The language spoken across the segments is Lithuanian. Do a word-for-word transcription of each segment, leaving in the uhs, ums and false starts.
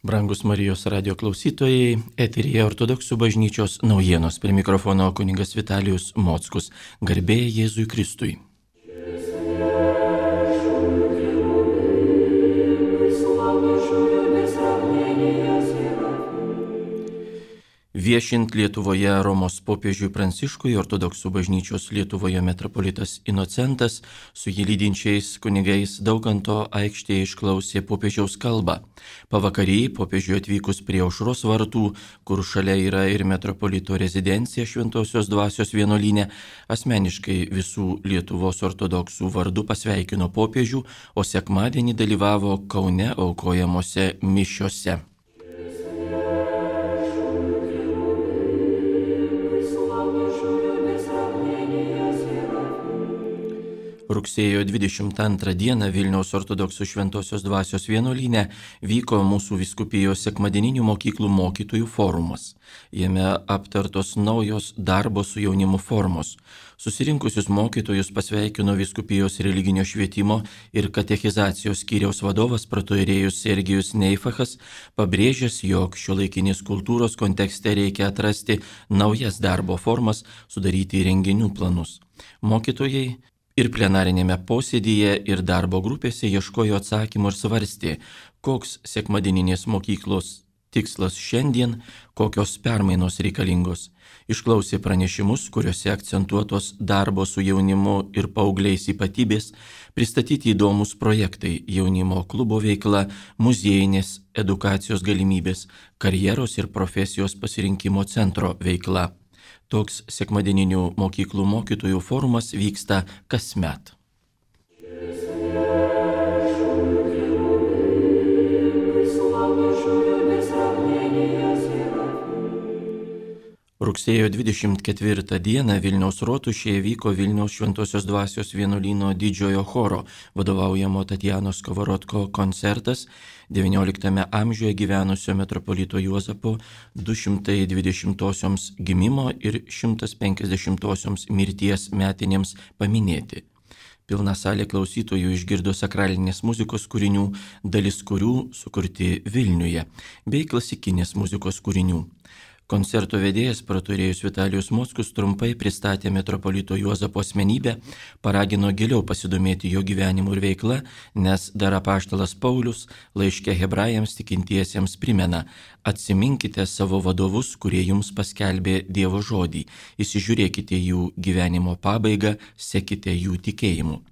Brangus Marijos radio klausytojai, eteryje Ortodoksų bažnyčios naujienos, prie mikrofono kunigas Vitalijus Mockus. Garbė Jėzui Kristui. Viešint Lietuvoje Romos popiežiui Pranciškui, Ortodoksų bažnyčios Lietuvoje metropolitas Inocentas su jį lydinčiais kunigais Daukanto aikštėje išklausė popiežiaus kalbą. Pavakarį popiežiui atvykus prie Aušros vartų, kur šalia yra ir metropolito rezidencija Šventosios Dvasios vienuolyne, asmeniškai visų Lietuvos ortodoksų vardu pasveikino popiežių, o sekmadienį dalyvavo Kaune aukojamose mišiose. Rugsėjo dvidešimt antrą dieną Vilniaus ortodoksų Šventosios Dvasios vienuolyne vyko mūsų vyskupijos sekmadieninių mokyklų mokytojų forumas. Jame aptartos naujos darbo su jaunimu formos. Susirinkusius mokytojus pasveikino vyskupijos religinio švietimo ir katechizacijos skyriaus vadovas pratojrėjus Sergijus Neifachas, pabrėžęs, jog šiuolaikinės kultūros kontekste reikia atrasti naujas darbo formas, sudaryti renginių planus. Mokytojai ir plenarinėme posėdyje ir darbo grupėse ieškojo atsakymų ir svarstė, koks sekmadieninės mokyklos tikslas šiandien, kokios permainos reikalingos. Išklausė pranešimus, kuriuose akcentuotos darbo su jaunimu ir paaugliais ypatybės, pristatyti įdomus projektai, jaunimo klubo veikla, muziejinės edukacijos galimybės, karjeros ir profesijos pasirinkimo centro veikla. Toks sekmadieninių mokyklų mokytojų forumas vyksta kasmet. Rugsėjo dvidešimt ketvirtą dieną Vilniaus rotušėje vyko Vilniaus Šventosios Dvasios vienuolyno didžiojo choro vadovaujamo Tatjanos Kovarodko koncertas devynioliktame amžiuje gyvenusio metropolito Juozapo du šimtai dvidešimtosioms gimimo ir šimtas penkiasdešimtosioms mirties metinėms paminėti. Pilna salė klausytojų išgirdo sakralinės muzikos kūrinių, dalis kurių sukurti Vilniuje, bei klasikinės muzikos kūrinių. Koncerto vedėjas pratojrėjus Vitalijus Mockus trumpai pristatė metropolito Juozapo asmenybę, paragino giliau pasidomėti jo gyvenimu ir veikla, nes dar apaštalas Paulius laiške hebrajams tikintiesiems primena: atsiminkite savo vadovus, kurie jums paskelbė Dievo žodį, įsižiūrėkite jų gyvenimo pabaigą, sekite jų tikėjimu.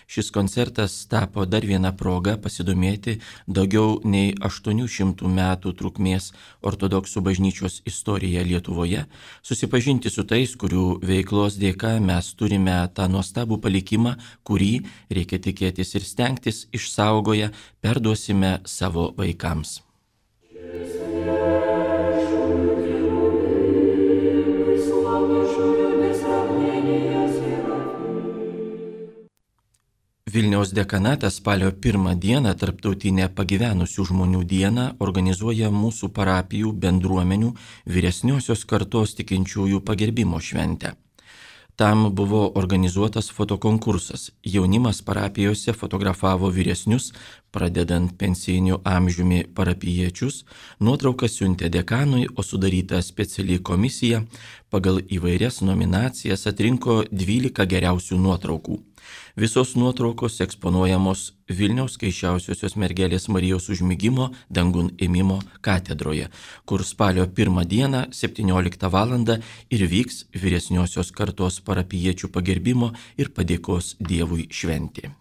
Šis koncertas tapo dar viena proga pasidomėti daugiau nei aštuonių šimtų metų trukmės ortodoksų bažnyčios istoriją Lietuvoje, susipažinti su tais, kurių veiklos dėka mes turime tą nuostabų palikimą, kurį, reikia tikėtis ir stengtis, išsaugoję perduosime savo vaikams. Vilniaus dekanatas spalio pirmą dieną tarptautinę pagyvenusių žmonių dieną organizuoja mūsų parapijų bendruomenių vyresniosios kartos tikinčiųjų pagerbimo šventę. Tam buvo organizuotas fotokonkursas. Jaunimas parapijose fotografavo vyresnius, pradedant pensijiniu amžiumi parapijiečius, nuotraukas siuntė dekanui, o sudaryta speciali komisija pagal įvairias nominacijas atrinko dvylika geriausių nuotraukų. Visos nuotraukos eksponuojamos Vilniaus Skaisčiausiosios Mergelės Marijos užmigimo dangun ėmimo katedroje, kur spalio pirmą dieną septynioliktą valandą ir vyks vyresniosios kartos parapijiečių pagerbimo ir padėkos Dievui šventė.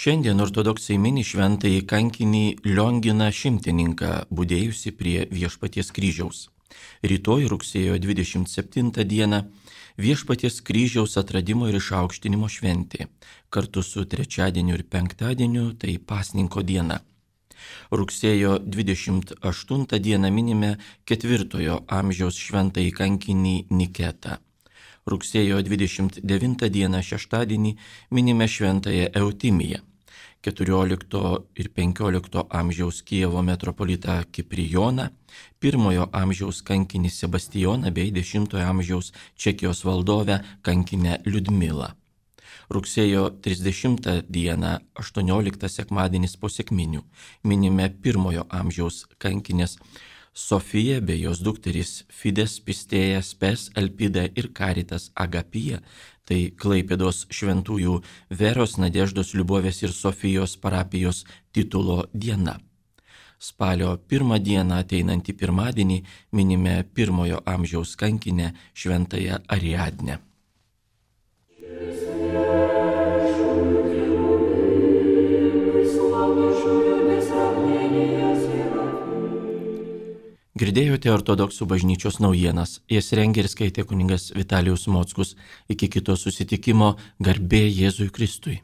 Šiandien ortodoksai mini šventąjį kankinį Lionginą Šimtininką, budėjusi prie Viešpaties kryžiaus. Rytoj rugsėjo dvidešimt septintą dieną Viešpaties kryžiaus atradimo ir išaukštinimo šventė, kartu su trečiadieniu ir penktadieniu tai pasninko diena. Rugsėjo dvidešimt aštuntą dieną minime ketvirtojo amžiaus šventąjį kankinį Niketą. Rugsėjo dvidešimt devintą dieną šeštadienį minime šventąją Eutimiją. keturiolikto ir penkiolikto amžiaus Kijevo metropolitą Kiprijoną, pirmojo amžiaus kankinį Sebastijoną bei dešimtojo amžiaus Čekijos valdovę kankinę Liudmilą. Rugsėjo trisdešimtą dieną, aštuonioliktą sekmadienis po sekminių, minime pirmojo amžiaus kankinės Sofiją bei jos dukterys Fides, Pistėja, Spes, Elpida ir Karitas Agapija, tai Klaipėdos šventųjų Veros, Nadeždos, Liubovės ir Sofijos parapijos titulo diena. Spalio pirmą dieną ateinantį pirmadienį minime pirmojo amžiaus kankinę šventąją Ariadnę. Girdėjote ortodoksų bažnyčios naujienas, jas rengė ir skaitė kunigas Vitalijus Mockus. Iki kito susitikimo, garbė Jėzui Kristui.